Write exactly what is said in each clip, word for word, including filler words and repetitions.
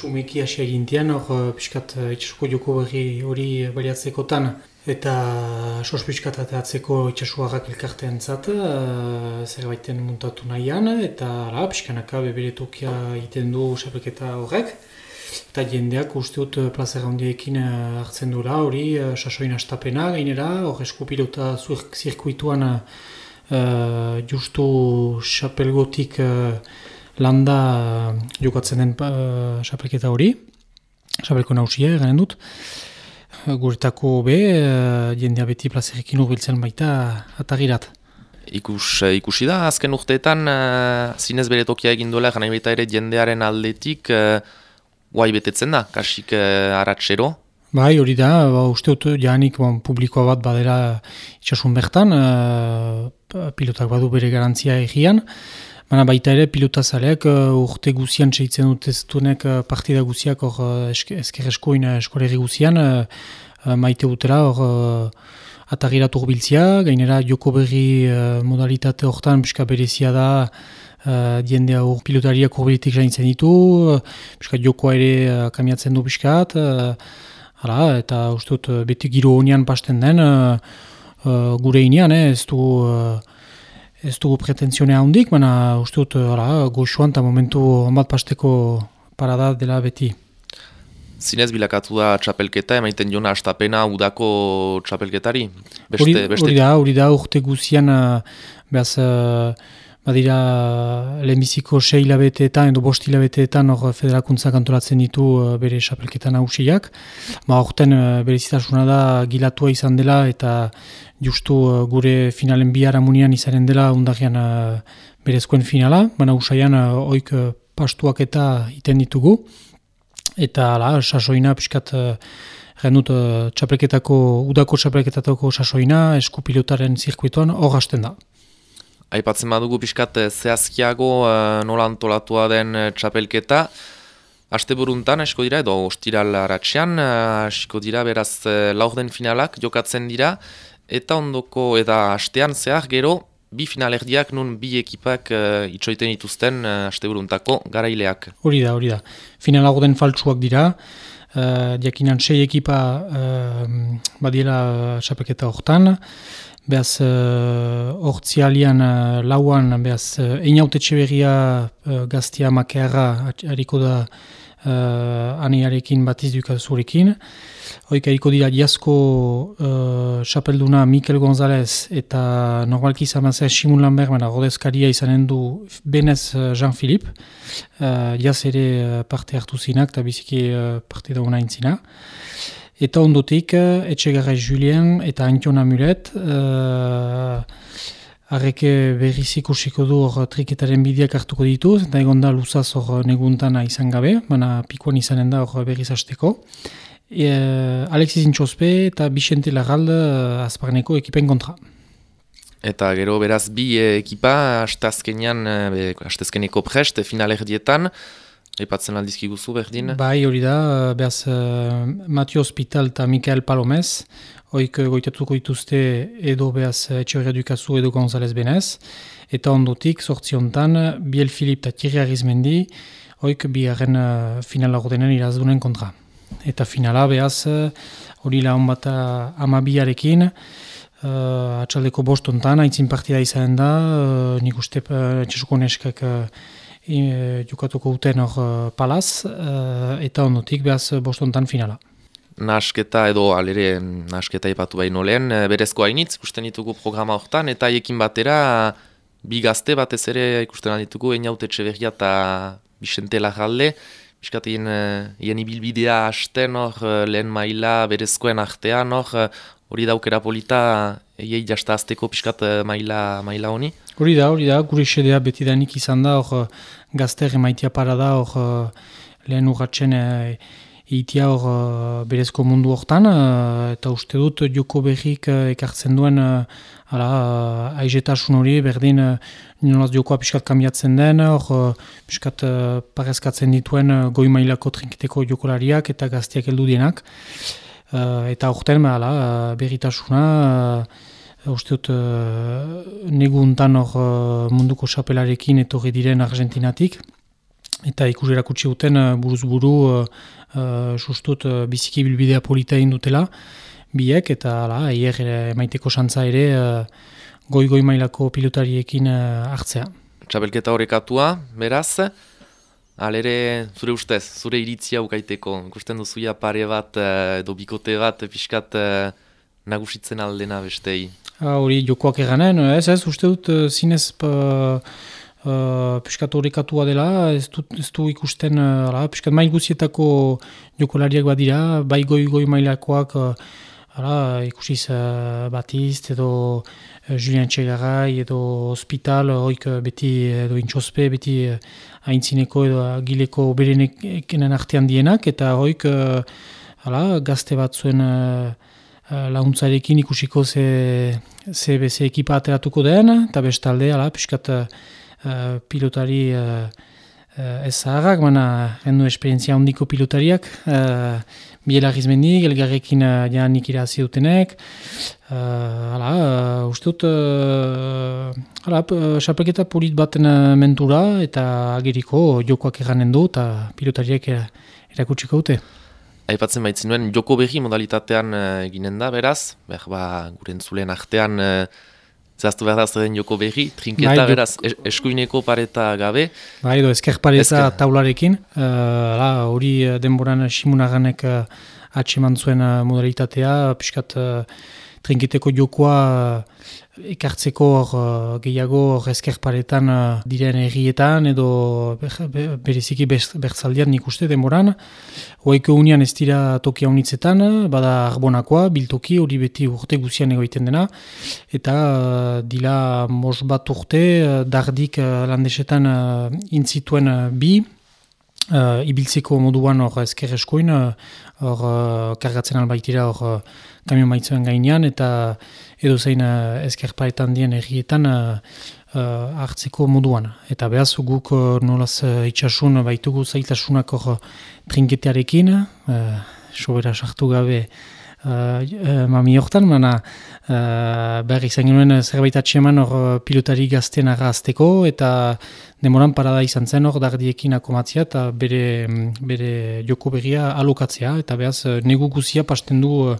Sumeki hasi egintian, hor piskat itxasuko joko berri hori baliatzekotan eta sos piskat ateatzeko itxasuarrak elkartean zat, zerbaiten muntatu nahian, eta ala, piskanaka bebere tokia egiten du xapelketa horrek. Eta jendeak uste dut plazera handiekin hartzen duela, hori sasoin astapena gainera, hor eskupilota zirkuituan uh, justu xapelgotik uh, landa uh, jokatzen den xapelketa uh, hori, xapelko nausia egaren dut. Guretako be, uh, jendea beti plazerekin urbiltzen baita atagirat. Ikus, ikusi da, azken urteetan uh, zinez bere tokia egin duela, gana baita ere jendearen aldetik uh, guai betetzen da, kasik uh, aratsero. Bai, hori da, ba, uste dut janik bon, publikoa bat badera itxasun bertan, uh, pilotak badu bere garantzia egian, baina baita ere pilotazaleak uh, urte guzian seitzen dut ez duenek uh, partida guziak hor uh, ezker eskoin eskolegi guzian, uh, uh, maite dutela hor uh, atagirat urbiltzia, gainera joko berri uh, modalitate hortan pixka berezia da, Uh, diendea hor pilotariak urbilitik zaintzen ditu, uh, piskat jokoa ere uh, kamiatzen du piskat, uh, hala, eta uste dut uh, beti giro honian pasten den, uh, uh, gure inean, eh, ez du uh, ez dugu pretentzionea handik, baina uste dut uh, goxuan eta momentu onbat pasteko parada dela beti. Zinez bilakatu da txapelketa, emaiten jona astapena udako txapelketari? Beste, hori, beste... hori da, hori da, urte guzian, uh, behaz, uh, badira lehenbiziko sei hilabeteetan edo bost hilabeteetan hor federakuntza kantolatzen ditu uh, bere xapelketa nagusiak. Ba, horten uh, berezitasuna da gilatua izan dela eta justu uh, gure finalen bihar amunian izanen dela undagian uh, berezkoen finala, baina usaian uh, oik uh, pastuak eta iten ditugu. Eta ala, sasoina pixkat uh, genut uh, txapelketako, udako txapelketatako sasoina eskupilotaren zirkuituan hor hasten da. Aipatzen badugu pixkat zehazkiago uh, nola antolatua den uh, txapelketa. Asteburuntan esko dira, edo ostiral aratsean, uh, esko dira beraz uh, laurden finalak jokatzen dira, eta ondoko eta astean zehar gero bi finalerdiak nun bi ekipak uh, itxoiten dituzten uh, asteburuntako garaileak. Hori da, hori da. Final laurden faltsuak dira, uh, diakinan sei ekipa uh, badiela txapelketa hortan, Beaz, hortzialian uh, uh, lauan, beaz, uh, Einaute Etxeberria uh, gaztia makearra hariko da uh, anearekin batiz dukazurekin. Hoik hariko dira Diazko uh, xapelduna Mikel González eta normalki izamazea Simun Lambert, baina rodezkaria izanen du Benez uh, Jean-Philippe. Uh, Diaz ere uh, parte hartu zinak eta biziki uh, parte dauna intzina. Eta ondotik, Etxegarrai Julien eta Antion Amulet, uh, arreke berriz ikusiko du hor triketaren bideak hartuko ditu, eta egon da luzaz hor neguntana izan gabe, baina pikoan izanen da hor berriz hasteko. E, Alexis Intxospe eta Vicente Larralde uh, azparneko ekipen kontra. Eta gero beraz bi ekipa, astazkenean, astazkeneko prest, finalerdietan, Epatzen aldizkiguzu berdin? Bai, hori da, behaz uh, Matio Hospital eta Mikael Palomez, hoik goitatuko dituzte edo behaz Etxeberria Dukazu edo González Benez, eta ondotik, sortzi hontan, Biel Filip eta Thierry Arizmendi, hoik biharren uh, finala ordenen irazdunen kontra. Eta finala behaz, hori uh, lahon bat amabiarekin, uh, atxaldeko bost hontan, haitzin partida izan da, uh, nik uste uh, txasuko neskak uh, E, jokatuko uten hor uh, palaz, uh, eta ondotik behaz bostontan finala. Nasketa edo alere nasketa ipatu baino lehen, berezko hainitz ikusten ditugu programa hortan, eta haiekin batera bi gazte batez ere ikusten ditugu Einaute Etxeberria eta Vicente Larralde, biskatein hien ibilbidea hasten hor lehen maila berezkoen artean hor, hori daukera polita eiei jasta azteko piskat maila, maila honi? Hori da, hori da, gure xedea betidanik izan da, hor gazter emaitia para da, hor lehen urratzen e, itia hor berezko mundu hortan, eta uste dut joko berrik ekartzen duen ala, aizetasun hori, berdin nolaz jokoa piskat kambiatzen den, hor piskat parezkatzen dituen goi mailako trinketeko jokolariak eta gaztiak heldu dienak. Uh, eta horten uh, berritasuna, uh, uste dut uh, neguntan hor uh, munduko xapelarekin etorri diren Argentinatik. eta ikus erakutsi duten uh, buruz buru uh, uh, sustut uh, biziki bilbidea polita egin dutela, biek, eta ala, eier emaiteko santza ere uh, goi-goi mailako pilotariekin uh, hartzea. Txapelketa horrekatua, beraz, alere, zure ustez, zure iritzia ukaiteko, ikusten duzuia pare bat, edo bikote bat, pixkat nagusitzen aldena bestei. Hori jokoak eganen, ez ez, uste dut zinez uh, uh, pixkat horrekatua dela, ez du, ez du ikusten, uh, pixkat mail guzietako jokolariak badira, bai goi-goi mailakoak, uh, Hala, ikusiz uh, Batizt edo uh, Julien Txegarai edo Hospital, hoik uh, beti edo intxospe, beti uh, haintzineko edo agileko berenekenen artean dienak, eta hoik uh, hala, gazte bat zuen uh, uh, launtzarekin ikusiko ze, ze, ze ekipa ateratuko den, eta bestalde, hala, piskat uh, uh, pilotari uh, uh, ez zaharrak, baina hendu esperientzia handiko pilotariak, uh, Biela Gizmendik, elgarrekin uh, janik irazi dutenek. Uh, hala, uh, uste dut, uh, hala, xapelketa polit baten uh, mentura eta ageriko jokoak eganen du eta pilotariak erakutsiko dute. Aipatzen baitzen nuen, joko berri modalitatean uh, eginen da, beraz, behar ba, gure entzuleen artean uh, zehaztu behar da zeren joko berri, trinketa, bai, beraz, es, eskuineko pareta gabe. Bai, edo esker pareta Esker. taularekin, hori uh, denboran Simunaganek uh, atseman zuen uh, modalitatea, piskat uh, trinketeko jokoa uh, ekartzeko uh, gehiago or, esker paretan uh, diren errietan, edo ber, ber, bereziki bertzaldian nik uste denboran. Hoiko unian ez dira tokia unitzetan, bada arbonakoa, biltoki, hori beti urte guzian egoiten dena, eta uh, dila mos bat urte, uh, dardik uh, landesetan uh, intzituen uh, bi, uh, ibiltzeko moduan hor esker eskoin, hor uh, kargatzen albaitira hor uh, kamion maitzuen gainean, eta edo zein uh, esker paretan dien errietan uh, uh, hartzeko moduan. Eta behaz guk uh, nolaz uh, itxasun baitugu zailtasunak hor uh, trinketearekin, uh, sobera sartu gabe uh, uh, mami hortan, mana uh, behar izan genuen zerbait atxeman hor uh, pilotari gazten arrazteko, eta demoran parada izan zen hor dardiekin akomatzea eta bere, bere joko berria alokatzea, eta behaz uh, negu guzia pasten du uh,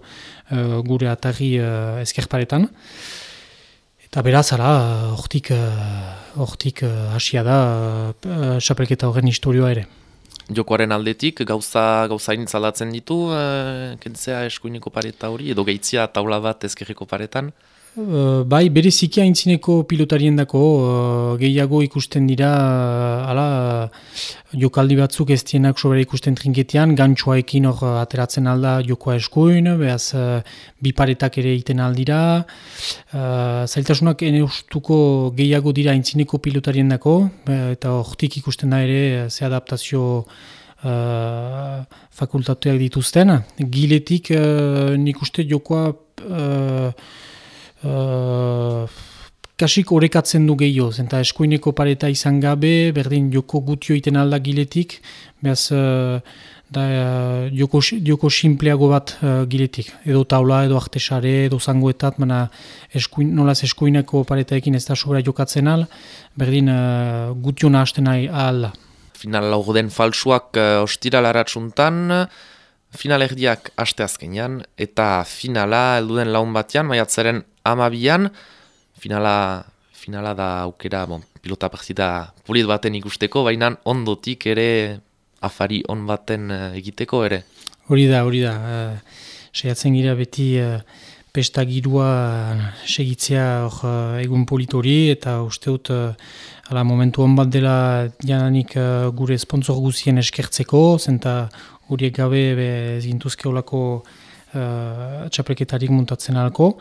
uh, gure atarri uh, eskerparetan. Eta beraz, ara, hortik hortik uh, hasia da uh, xapelketa horren historioa ere. Jokoaren aldetik, gauza gauzain zaldatzen ditu, uh, kentzea eskuineko pareta hori, edo gehitzia taula bat ezkerreko paretan? Uh, bai, bereziki aintzineko pilotarien dako, uh, gehiago ikusten dira, uh, ala, jokaldi batzuk ez dienak sobera ikusten trinketean, gantxoaekin hor uh, ateratzen alda jokoa eskuin, behaz uh, biparetak ere egiten aldira, uh, zailtasunak ene ustuko gehiago dira aintzineko pilotarien dako, uh, eta hortik ikusten da ere ze adaptazio uh, fakultatuak dituzten. Giletik uh, nik uste jokoa uh, Uh, kasik orekatzen du gehiago, zenta eskuineko pareta izan gabe, berdin joko gutio iten alda giletik, behaz uh, da, uh, joko, joko simpleago bat uh, giletik, edo taula, edo artesare, edo zangoetat, mana eskuin, nolaz eskuineko paretaekin ez da sobera jokatzen al, berdin uh, gutio nahasten ahal da. Final laurden falsuak uh, ostira laratsuntan, final erdiak aste azkenean, eta finala helduden laun batean, maiatzaren amabian, finala, finala da aukera, bon, pilota partida polit baten ikusteko, baina ondotik ere afari on baten uh, egiteko ere. Hori da, hori da. Uh, Seiatzen gira beti uh, pesta girua segitzea uh, egun polit hori, eta uste dut uh, ala, momentu on bat dela jananik uh, gure sponsor guzien eskertzeko, zenta horiek gabe ez gintuzke olako uh, txapelketarik muntatzen alko.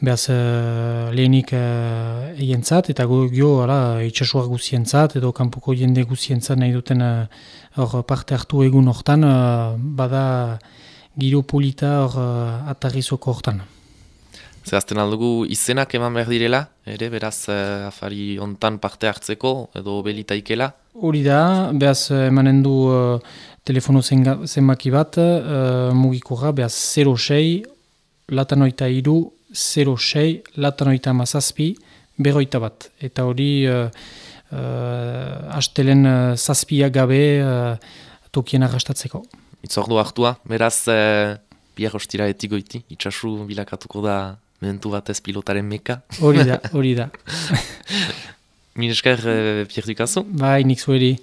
Behaz uh, lehenik uh, eientzat eta gio itxasuak guzientzat edo kanpoko jende guzientzat nahi duten uh, parte hartu egun hortan, uh, bada giro polita hor uh, atarrizoko hortan. Zehazten aldugu izenak eman behar direla, ere beraz uh, afari ontan parte hartzeko edo belitaikela? Hori da, behaz emanen du uh, telefono zenbaki bat, uh, mugikorra, behaz zero sei, latanoita iru, zero sei, latanoita mazazpi, berroita bat. Eta hori uh, uh, astelen uh, zazpia gabe uh, tokien arrastatzeko. Itzordu hartua, beraz, uh, bihar ostira etigoiti, itxasu bilakatuko da momentu batez pilotaren meka. Hori da, hori da. Min esker, uh, Pierre Ducasso. Bai, nik zueri.